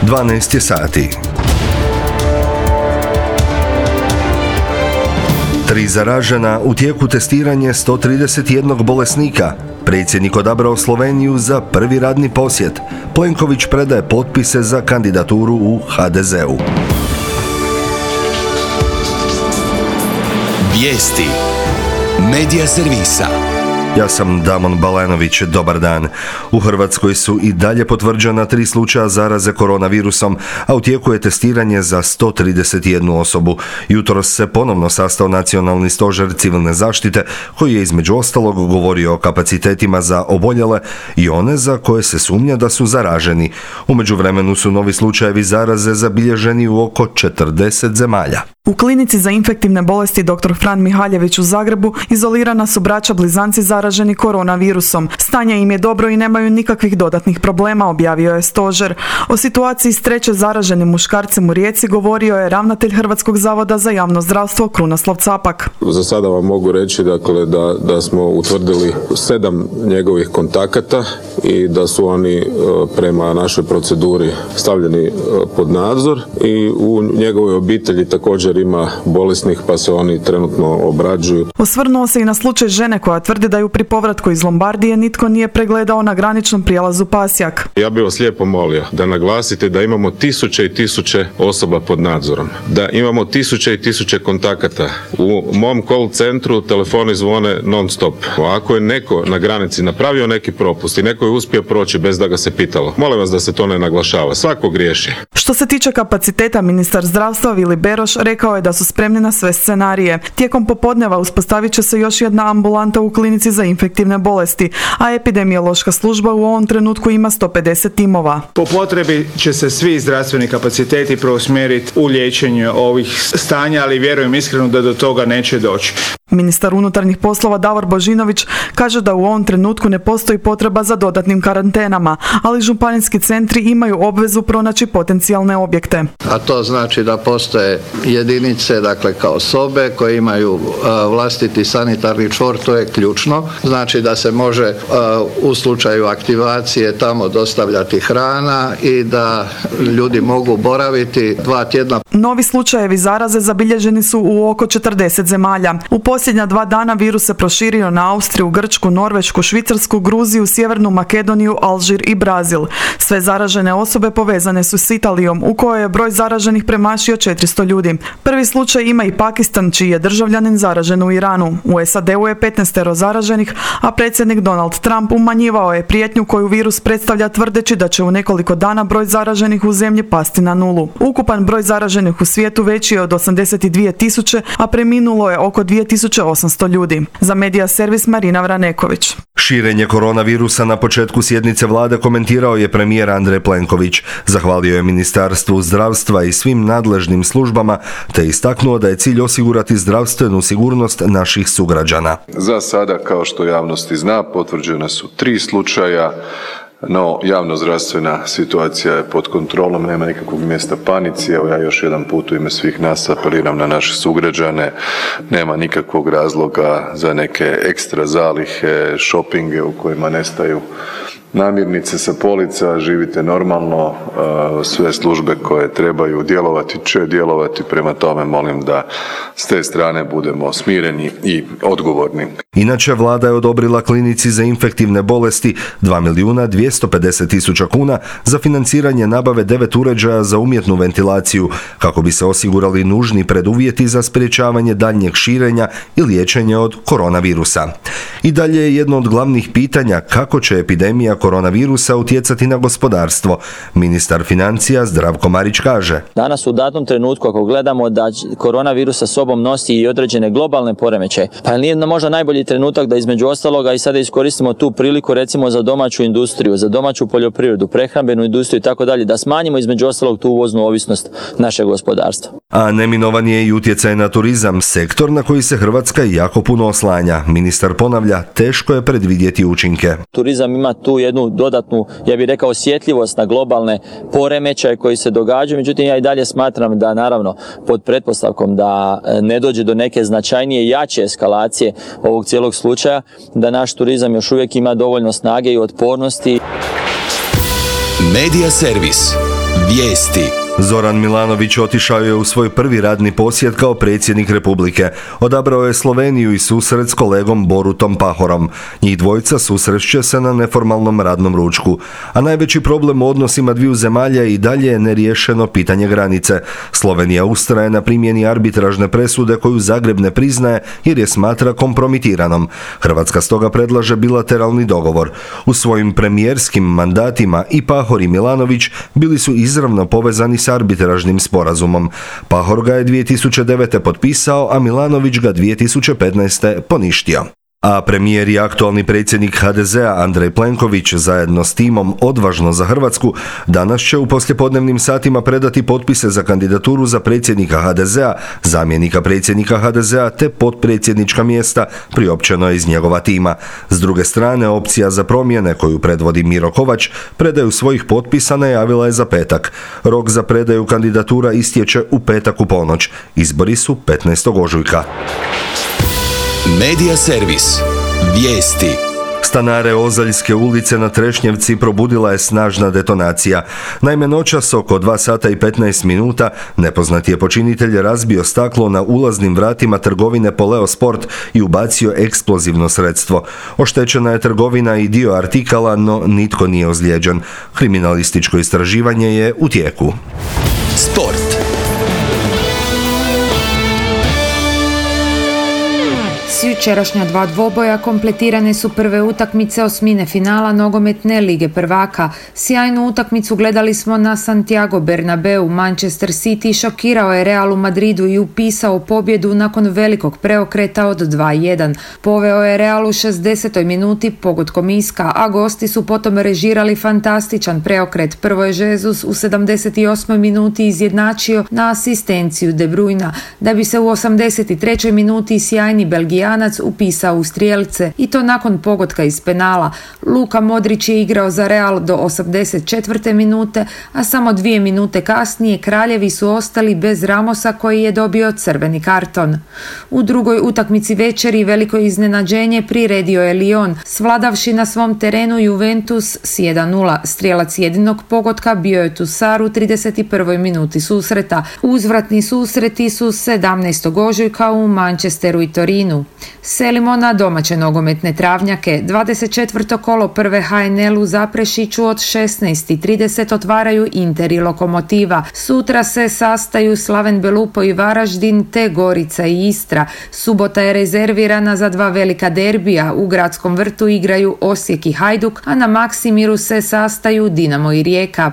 12 je sati. 3 zaražena, u tijeku testiranje 131 bolesnika. Predsjednik odabrao Sloveniju za prvi radni posjet. Plenković predaje potpise za kandidaturu u HDZ-u. Vijesti Medija servisa. Ja sam Damon Balenović, dobar dan. U Hrvatskoj su i dalje potvrđena 3 slučaja zaraze koronavirusom, a u tijeku je testiranje za 131 osobu. Jutros se ponovno sastao Nacionalni stožer civilne zaštite, koji je između ostalog govorio o kapacitetima za oboljele i one za koje se sumnja da su zaraženi. U međuvremenu su novi slučajevi zaraze zabilježeni u oko 40 zemalja. U klinici za infektivne bolesti dr. Fran Mihaljević u Zagrebu izolirana su braća blizanci zaraženi koronavirusom. Stanje im je dobro i nemaju nikakvih dodatnih problema, objavio je stožer. O situaciji s 3. zaraženim muškarcem u Rijeci govorio je ravnatelj Hrvatskog zavoda za javno zdravstvo Krunoslav Capak. Za sada vam mogu reći da smo utvrdili 7 njegovih kontakata i da su oni prema našoj proceduri stavljeni pod nadzor i u njegovoj obitelji također ima bolesnih, pa se oni trenutno obrađuju. Osvrnuo se i na slučaj žene koja tvrdi da ju pri povratku iz Lombardije nitko nije pregledao na graničnom prijelazu Pasjak. Ja bih vas lijepo molio da naglasite da imamo tisuće i tisuće osoba pod nadzorom, da imamo tisuće i tisuće kontakata. U mom call centru telefoni zvone non stop. Ako je neko na granici napravio neki propust i neko je uspio proći bez da ga se pitalo, molim vas da se to ne naglašava. Svako griješi. Što se tiče kapaciteta, ministar zdravstva Vili Beroš rekao je da su spremni na sve scenarije. Tijekom popodneva uspostavit će se još jedna ambulanta u klinici za infektivne bolesti, a epidemiološka služba u ovom trenutku ima 150 timova. Po potrebi će se svi zdravstveni kapaciteti preusmjeriti u liječenje ovih stanja, ali vjerujem iskreno da do toga neće doći. Ministar unutarnjih poslova Davor Božinović kaže da u ovom trenutku ne postoji potreba za dodatnim karantenama, ali županijski centri imaju obvezu pronaći potencijalne objekte. A to znači da postoje jedinice, dakle kao sobe koje imaju vlastiti sanitarni čvor, to je ključno. Znači da se može u slučaju aktivacije tamo dostavljati hrana i da ljudi mogu boraviti 2 tjedna. Novi slučajevi zaraze zabilježeni su u oko 40 zemalja. U posljednja 2 dana virus se proširio na Austriju, Grčku, Norvešku, Švicarsku, Gruziju, Sjevernu Makedoniju, Alžir i Brazil. Sve zaražene osobe povezane su s Italijom, u kojoj je broj zaraženih premašio 400 ljudi. Prvi slučaj ima i Pakistan, čiji je državljanin zaražen u Iranu. U SAD-u je 15 zaraženih, a predsjednik Donald Trump umanjivao je prijetnju koju virus predstavlja tvrdeći da će u nekoliko dana broj zaraženih u zemlji pasti na 0. Ukupan broj zaraženih u svijetu veći je od 82.000, a preminulo je oko 2.800 ljudi. Za Medija servis Marina Vraneković. Širenje koronavirusa na početku sjednice vlade komentirao je premijer Andrej Plenković. Zahvalio je Ministarstvu zdravstva i svim nadležnim službama, te istaknuo da je cilj osigurati zdravstvenu sigurnost naših sugrađana. Za sada, kao što javnosti zna, potvrđena su 3 slučaja, no javnozdravstvena situacija je pod kontrolom, nema nikakvog mjesta panici. Evo ja još jedan put u ime svih nas apeliram na naše sugrađane, nema nikakvog razloga za neke ekstra zalihe, šopinge u kojima nestaju namirnice sa polica, živite normalno, sve službe koje trebaju djelovati će djelovati, prema tome molim da s te strane budemo smireni i odgovorni. Inače, vlada je odobrila klinici za infektivne bolesti 2.250.000 kuna za financiranje nabave 9 uređaja za umjetnu ventilaciju, kako bi se osigurali nužni preduvjeti za sprječavanje daljnjeg širenja i liječenja od koronavirusa. I dalje je jedno od glavnih pitanja kako će epidemija koronavirusa utjecati na gospodarstvo. Ministar financija Zdravko Marić kaže: Danas u datom trenutku, ako gledamo da koronavirus sa sobom nosi i određene globalne poremećaje, pa nije možda najbolji trenutak da između ostaloga i sada iskoristimo tu priliku recimo za domaću industriju, za domaću poljoprivredu, prehrambenu industriju i tako dalje, da smanjimo između ostalog tu uvoznu ovisnost našeg gospodarstva. A neminovan je i utjecaj na turizam, sektor na koji se Hrvatska jako puno oslanja. Ministar ponavlja, teško je predvidjeti učinke. Turizam ima tu jednu dodatnu, ja bih rekao, osjetljivost na globalne poremećaje koji se događaju, međutim ja i dalje smatram da naravno pod pretpostavkom da ne dođe do neke značajnije i jače eskalacije ovog cijelog slučaja, da naš turizam još uvijek ima dovoljno snage i otpornosti. Medija servis. Vijesti. Zoran Milanović otišao je u svoj prvi radni posjet kao predsjednik Republike. Odabrao je Sloveniju i susret s kolegom Borutom Pahorom. Njih dvojica susreće se na neformalnom radnom ručku. A najveći problem u odnosima dviju zemalja i dalje je neriješeno pitanje granice. Slovenija ustraje na primjeni arbitražne presude koju Zagreb ne priznaje jer je smatra kompromitiranom. Hrvatska stoga predlaže bilateralni dogovor. U svojim premijerskim mandatima i Pahor i Milanović bili su izravno povezani s arbitražnim sporazumom. Pahor ga je 2009. potpisao, a Milanović ga 2015. poništio. A premijer i aktualni predsjednik HDZ-a Andrej Plenković zajedno s timom Odvažno za Hrvatsku danas će u poslijepodnevnim satima predati potpise za kandidaturu za predsjednika HDZ-a, zamjenika predsjednika HDZ-a te potpredsjednička mjesta priopćeno iz njegova tima. S druge strane, opcija za promjene koju predvodi Miro Kovač predaju svojih potpisa najavila je za petak. Rok za predaju kandidatura istječe u petak u ponoć. Izbori su 15. ožujka. Medija servis. Vijesti. Stanare Ozaljske ulice na Trešnjevci probudila je snažna detonacija. Naime, noćas oko 2 sata i 15 minuta nepoznati je počinitelj razbio staklo na ulaznim vratima trgovine Poleo Sport i ubacio eksplozivno sredstvo. Oštećena je trgovina i dio artikala, no nitko nije ozlijeđen. Kriminalističko istraživanje je u tijeku. Sport. S jučerašnja 2 dvoboja kompletirane su prve utakmice osmine finala nogometne lige prvaka. Sjajnu utakmicu gledali smo na Santiago Bernabeu. Manchester City šokirao je Real u Madridu i upisao pobjedu nakon velikog preokreta od 2-1. Poveo je Real u 60. minuti pogodkom Iska, a gosti su potom režirali fantastičan preokret. Prvo je Jesus u 78. minuti izjednačio na asistenciju De Bruyna, da bi se u 83. minuti sjajni Belgijanac upisao u strijelce i to nakon pogotka iz penala. Luka Modrić je igrao za Real do 84. minute, a samo 2 minute kasnije kraljevi su ostali bez Ramosa koji je dobio crveni karton. U drugoj utakmici večeri veliko iznenađenje priredio je Lyon, svladavši na svom terenu Juventus s 1-0. Strijelac jedinog pogotka bio je Tussar u 31. minuti susreta. Uzvratni susreti su 17. ožujka u Manchesteru i Torinu. Selimo na domaće nogometne travnjake. 24. kolo prve HNL u Zaprešiću od 16:30 otvaraju Inter i Lokomotiva. Sutra se sastaju Slaven Belupo i Varaždin te Gorica i Istra. Subota je rezervirana za 2 velika derbija. U Gradskom vrtu igraju Osijek i Hajduk, a na Maksimiru se sastaju Dinamo i Rijeka.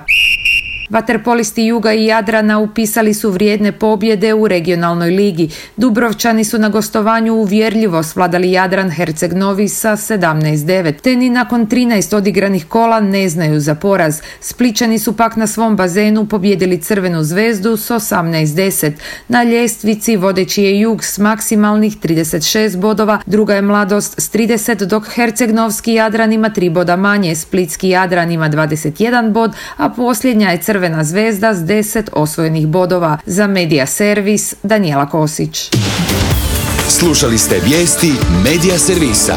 Vaterpolisti Juga i Jadrana upisali su vrijedne pobjede u regionalnoj ligi. Dubrovčani su na gostovanju uvjerljivo svladali Jadran Herceg Novi sa 17-9. Te ni nakon 13 odigranih kola ne znaju za poraz. Splićani su pak na svom bazenu pobjedili Crvenu zvezdu s 18-10. Na ljestvici vodeći je Jug s maksimalnih 36 bodova, druga je Mladost s 30, dok Herceg-Novski Jadran ima 3 boda manje, Splitski Jadran ima 21 bod, a posljednja je Crvena zvezda s 10 osvojenih bodova. Za Medija servis Danijela Kosić. Slušali ste vijesti Medija servisa.